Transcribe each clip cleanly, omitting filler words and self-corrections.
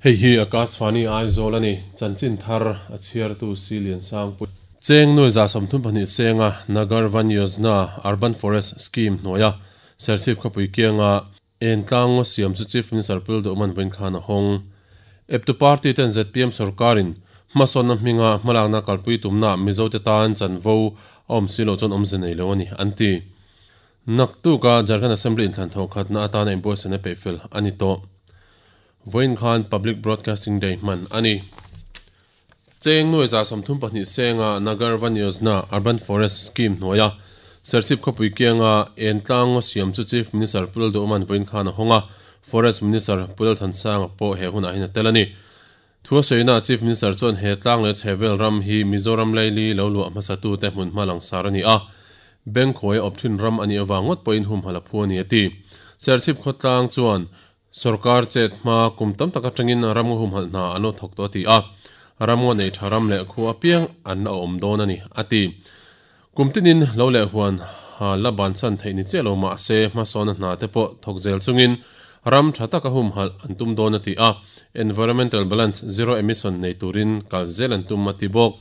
Hei hi Akashvani Aizawl a ni. Chanchin thar a chhiartu Si Liansangpui. Cheng nuai 32 senga Nagar Van Yojna Urban Forest Scheme hnuaia Serchhip khawpui kianga Entlang ngaw siam chu Chief Minister Pul Duhman vawiin khan a hawng. Eptu party ten zpm sorkarin hmasawnna hminga hmalakna kalpui tumna Mizote tan chanvo a awm si loh chuan awmze nei lo a ni, an ti. Naktuka Jharkhand Assembly inthlan thawh khatna atana inbuatsaihna peihfel a ni tawh. Vawiin khan Public Broadcasting Day hman a ni. Cheng nuai 32 senga Nagar Van Yojna Urban Forest Scheme hnuaia Serchhip khawpui kianga Entlang ngaw siam chu Chief Minister Pu Lalduhawma'n vawiin khan a hawng a, Forest Minister Pu Lalthansanga pawh he hunah hian a tel a ni. Thu a sawina Chief Minister chuan he tlang leh chhehvel ram hi Mizoram laili lo luah hmasatute hmunhma langsar a ni a, Bengkhuai a awp thin ram a nih avang ngawt pawhin humhalh a phu a ni a ti. Serchhip khawtlang chuan Sorkar chet hma kum tam tak atangin ramngaw humhalh hna an lo thawk tawh a ti a, ramngaw nei tha ram leh khua apiang an la awm dawn a ni, a ti. Kum tinin lo leh huan ha la bansan theih ni chiah lo mah se hmasawna hna te pawh thawk zel chungin ram tha taka humhalh an tum dawn a ti a, environmental balance zero emission nei turin kal zel an tum a ti bawk.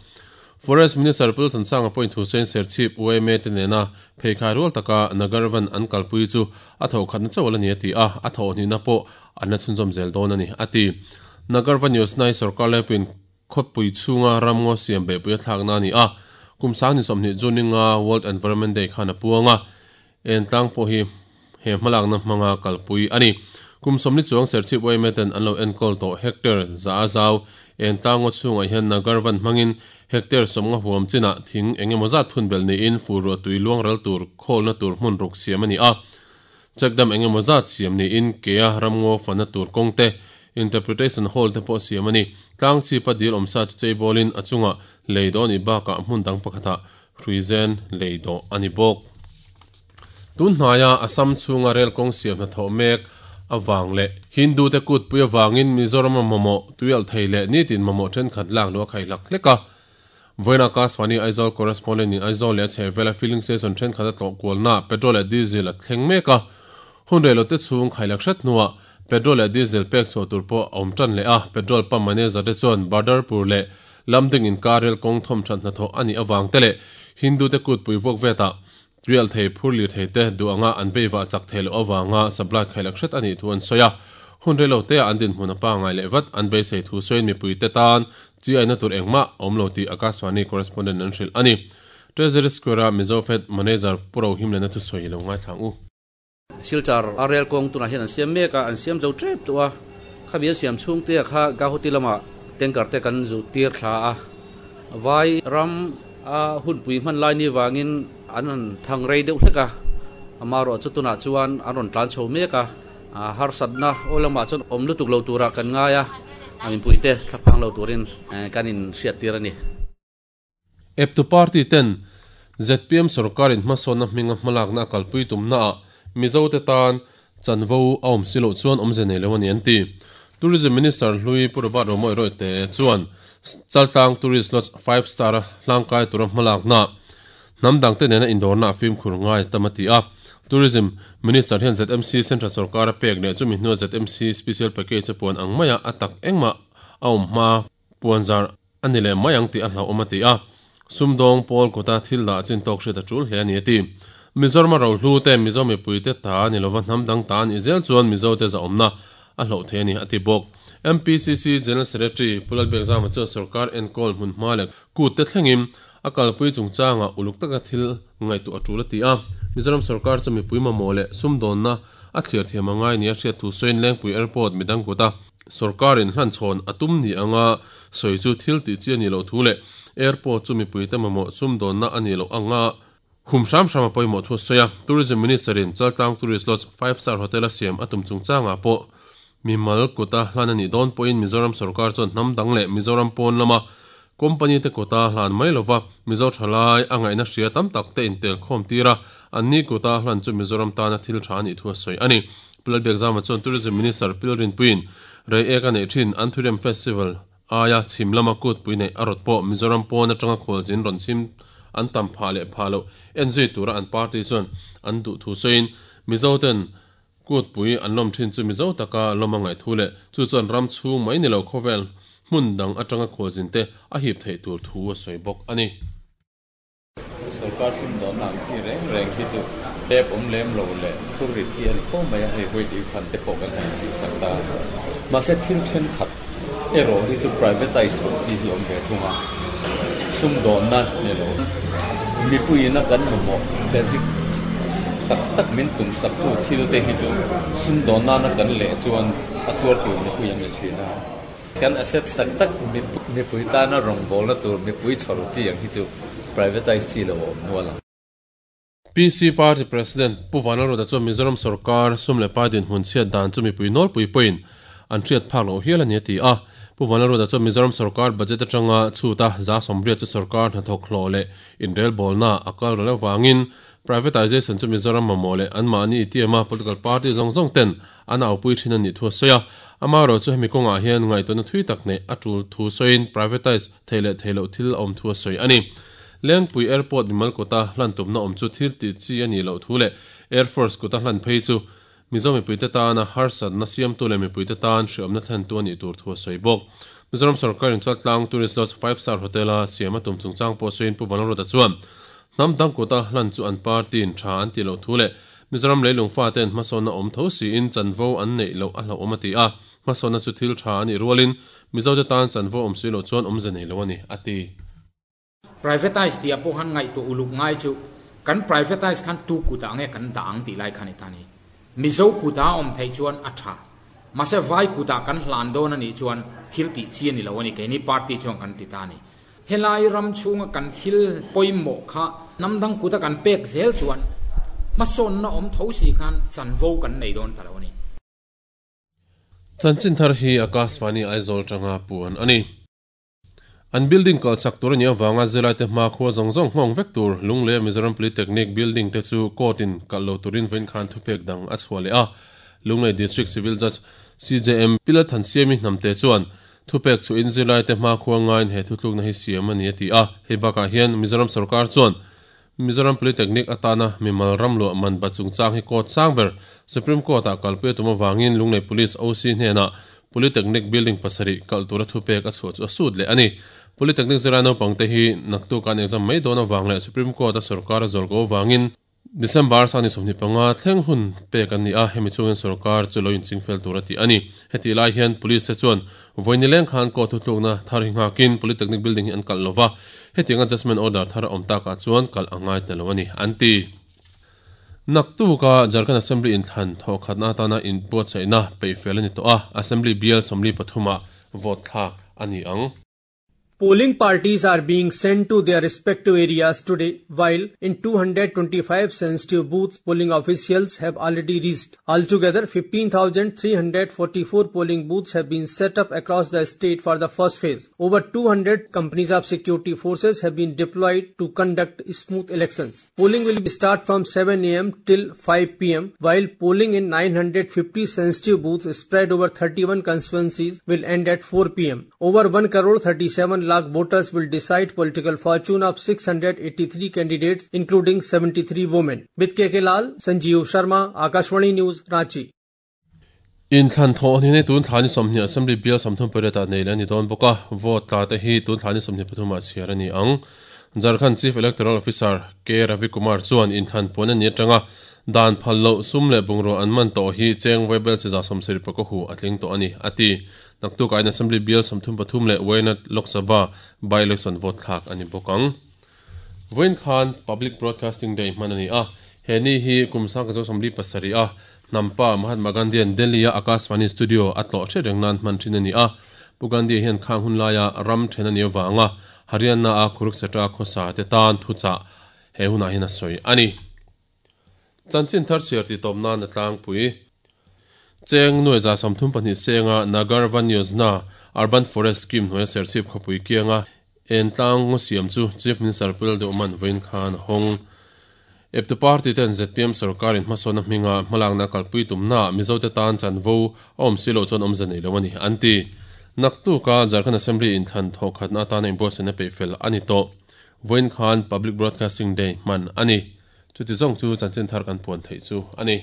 Forest Minister Pu Thansanga pawhin thu sawiin Serchhip yma te nena pheikhai rual taka Nagarvan an kalpui chu a thawhkhatna chauh ala ni a ti a, a thawhhnihna pawh an la chhunzawm zel dawn a ni, a ti. Nagarvan Yojana hi sorkar laipuiin khawpui chhunga ramngaw siam beihpui a thlakna a ni a, kum 20 June ninga World Environment Day khan a puang a, Entlang pawh hi he hmalakna hmanga kalpui a ni. Kum 40 chuang Serchhip yma ten an lo enkawl tawh hectare za a zau. Entlang ngaw chhungah hian Nagarvan hmangin hectare 50 huam chinah thing eng emaw zat phun belh niin fur ruah tui luang ral tur khawlna tur hmun ruk siam a ni a. Check dam eng emaw zat siam niin kea ramngaw fana tur kawng te, interpretation hall te pawh siam a ni. Tlang chhipa dil awmsa chu cheibawlin a chungah lei dawn i bakah hmun dang pakhatah Hruizen lei dawh a ni bawk. Tun hnaia Assam chhunga rel kawng siam hnathawh mek avang leh Hindu te kutpui avangin Mizoram a mamawh tuialh thei leh nitin mamawh thenkhat lak luh a khaihlak hlek a. Vawiin Akashvani Aizawl correspondent in Aizawl leh a chhehvela filling station thenkhat a tlawh kualnaah petrol leh diesel a thleng mek a. Hun reilote chhung khaihlak hret hnuah petrol leh diesel pek chhuah tur pawh a awm tan leh a. Petrol pump manager te chuan Badarpur leh Lamding inkar rel kawng thawmthat hnathawh a nih avang te leh Hindu te kutpui vuak vetah tuialh thei phur lirthei te duh anga an veivah chak theih loh avanga supply khailak hret a nih thu an sawi a. Hun reilo teah an dinhmun a pangngai leh vat an beisei thu sawiin mipui te tan chi aina tur engmah a awm lo tih Akashvani correspondent an hrilh a ni. Treasury Square-a Mizo Fed Manager Pu Rohimlena thusawi lo ngaithla ang u. Silchar a rel kawng tunah hian an siam mek a, an siam zo tep tawh a, khami an siam chhung te kha Gauhati lama tanker te kan zu tir thla a, vai ram a hunpui hman lai ni vangin an han thang rei deuh hlek a, amaherawh chu tunah chuan an rawn tlan chho mek a, harsatna aw lamah chuan awm lutuk lo turah kan ngai a, a mipui te thlaphang lo turin kan inhriat tir a ni. Eptu party ten zpm sorkarin hmasawnna hminga hmalakna a kalpui tumnaah Mizote tan chanvo a awm si loh chuan awmze nei lo a ni an ti. Tourism Minister hlui Pu Robert Romawih Rawite chuan Chaltlang Tourist Lodge Five Star a hlangkai tura hmalakna hnam dangte nena indawrna a fimkhur ngai tam a ti a. Tourism Minister hian ZMC Central sorkar a pek leh chumi hnua ZMC Special Package a puan ang maia a tak engmah a awm hma Puanzar a ni leh mai ang tih a hlauhawm a ti a, sumdawng pawl kuta thil dah chin tawk hriat a tul hle a ni a ti. Mizoram a rohlu te, Mizo mipui te ta a ni lova hnam dang ta a nih zel chuan Mizo te zahawmna a hloh thei a ni a ti bawk. MPCC General Secretary Pu Lalbiakzama chuan sorkar enkawl hmunhma leh kut te thlengin a kalpui chungchangah uluk taka thil ngaihtuah a tul a ti a, Mizoram sorkar chu mipui mamawh leh sumdawnna a thliar thiam a ngai nia hriat thu sawiin Lengpui Airport midang kuta Sorkarin hlanchhawn a tum ni anga sawi chu thil tih chi a nih loh thu leh airport chu mipuite mamawh sumdawnna a nih loh anga hum hram hram a pawimawh thu a sawi a. Tourism Minister-in Chaltlang Tourist Lodge Five Star Hotel a siam a tum chungchangah pawh mimal kuta hlan a nih dawn pawhin Mizoram sorkar chuan hnam dang leh Mizoram pawn lama company te kuta hlan mai lova Mizo thalai a ngaihna hria tam tak te intelkhawm tir a, anni kuta hlan chu Mizoram tana thil tha a nih thu a sawi a ni. Pu Lalbiakzama chuan Tourism Minister Pilrinpuiin rei ek a neih thin Anthurium Festival aia chhim lama kutpui neih a rawt pawh Mizoram pawn atanga khualzin rawn chhim an tam phah leh phah loh en zui tura an party chuan an duh thu sawiin Mizoten. Kutpui an lawm thin chu Mizo taka lawm a ngaih thu leh chu chuan ram chhung mai ni lo khawvel hmun dang atanga khualzin te a hip theih tur thu a sawi bawk a ni. Sorkar sumdawnna ang chi reng reng hi chu tep awm lem lo leh phurrit hi a ni fo mai a, hei vawi fund te pawh kan han tihsak ta. Mahse thil thenkhat erawh hi chu privatise loh chi hi awm ve thung a, sumdawnna ni lo mipuiin a kan mamawh basic tak tak min tumsak tu thil te hi chu sumdawn nana kan leh chuan a tuar tur mipui an ni thin a. Kan assets tak tak mipui tana rawngbawlna tur mipui chhawr chi ang hi chu privatise chi lo a awm nual ang. PC Party President Pu Vanlalruata chuan Mizoram sorkar sum leh pai dinhmun chhiat dan chu mipui nawlpui pawhin an hriat phak loh hial a ni a ti a. Pu Vanlalruata chuan Mizoram sorkar budget atanga chhuta 180 chu sorkar hnathawk hlawh leh inrelbawlna a kal ral avangin Privatization chu Mizoram mamawh leh anmahni i tiama political party zawng zawng ten an aupui thin a nih thu a sawi a. Amaherawh chu hemi kawngah hian ngaihtuahna thui tak neih a tul thu sawiin privatize theih leh theih loh thil a awm thu a sawi a ni. Lengpui Airport mimal kuta hlan tumna awm chu thil tih chi a nih loh thu leh Air Force kuta hlan phei chu Mizo mipuite tana harsatna siamtu leh mipuite tan hriawmna thlentu a nih tur thu a sawi bawk. Mizoram sorkarin Chaltlang Tourist Lodge Five Star Hotel-a siam a tum chungchang pawh sawiin Pu Vanlalruata chuan hnam dang kuta hlan chu an party-in tha an tih loh thu leh Mizoram leilung fate'n hmasawnna awm tho siin chanvo an neih loh a hlauhawm a ti a, hmasawnna chu thil tha a nih rualin Mizote tan chanvo awm si loh chuan awmze nei lo a ni, a ti. Privatise tih ah pawh khan ngaihtuah uluk ngai chu kan privatise khan tu kut ah nge kan dah ang tih lai khan i tan hi. Mizo kut ah a awm theih chuan a tha. Mahse vai kut ah kan hlan dawn a nih chuan thil tih chi a ni lo a ni keini party chuan kan ti ta a ni. Helai ram chhunga kan thil pawimawh kha hnam dang kut a kan pek zel chuan hmasawnna awm tho si khan chanvo kan nei dawn ta lo a ni. Chanchin thar hi Akashvani Aizawl tanga puan a ni. An building kalhsak tur a nih avanga zirlaite hma khua zawng zawng nghawng vek tur Lunglei Mizoram Polytechnic building te chu court in kalh lo turin vawiin khan thupek dang a chhuah leh a. Lunglei District Civil Judge CJM Pilat Thansiami Hnamte chuan thupek chhuahin zirlaite hma khua ngaiin he thutlukna hi siam a ni a ti a. Hei bakah hian Mizoram sorkar chuan Mizoram Polytechnic atana mimal ram luah man bat chungchang hi court sang ber Supreme Court ah kalpui a tum avangin Lunglei Police OC hnenah Polytechnic building pasarih kalh tura thupek a chhuah chu a sut leh a ni. Polytechnic zirlai naupangte hi naktuk an exam mai dawn avang leh Supreme Court a sorkar a zawlko avangin December sani 25 thleng hun pek an ni a, hemi chungin sorkar chu lo inchingfel tur a ti a ni. Hetih lai hian Police te chuan vawi nileng khan court thutlukna thar hi nghakin Polytechnic building hi an kalh lova, hetiang adjustment order thar a awm takah chuan kalh a ngai ta lo a ni, an ti. Naktuka Jharkhand Assembly inthlan thawhkhatna atana inbuatsaihna peihfel a ni tawh a, Assembly bial 43 ah vote thlak a ni ang. Polling parties are being sent to their respective areas today while in 225 sensitive booths polling officials have already reached. Altogether 15,344 polling booths have been set up across the state for the first phase. Over 200 companies of security forces have been deployed to conduct smooth elections. Polling will start from 7 am till 5 pm while polling in 950 sensitive booths spread over 31 constituencies will end at 4 pm. Over 1 crore 37 lakh voters will decide political fortune of 683 candidates including 73 women. With KK Lal, Sanjeev Sharma, Akashvani News, Ranchi. Inthlan thawh ni nei tun thla ni 20 Assembly bial 38 ah nei leh a ni dawn bawk a, vote tla te hi tun thla ni 23 ah chhiar a ni ang. Jharkhand Chief Electoral Officer K Ravi Kumar chuan inthlan puan a ni atanga dan phal loh sum leh bungrua an man tawh hi cheng vaibel chi 70 pakaw hu a tling tawh a ni, a ti. Naktuk ah in Assembly bial 33 leh Wayanad Lok Sabha by-election vote thlak a ni bawk ang. Vawiin khan Public Broadcasting Day hman a ni a, he ni hi kum 1947 a hnampa Mahatma Gandhi-a'n Delhi-a Akashvani studio a tlawh hriat reng nan hman thin a ni a. Pu Gandhi hian khang hun laia ram then a nih avanga Haryana-a Kurukshetra khawsa te tan thuchah he hunah hian a sawi a ni. Chanchin thar chhiar tih tawp nan a tlangpui. Cheng nuai 32 senga Nagar Van Yojana Urban Forest Scheme hnuaia Serchhip khawpui kianga en tlang ngaw siam chu Chief Minister Pu Lalduhman vawiin khan a hawng. Eptu party ten zpm sorkarin hmasawnna hminga hmalakna kalpui tumnaah Mizote tan chanvo a awm si loh chuan awmze nei lo a ni, an ti. Naktuka Jharkhand Assembly inthlan thawhkhatna atana inbuatsaihna peihfel a ni tawh. Vawiin khan Public Broadcasting Day hman a ni. Chuti zawng chu chanchin thar kan puan theih chu a ni.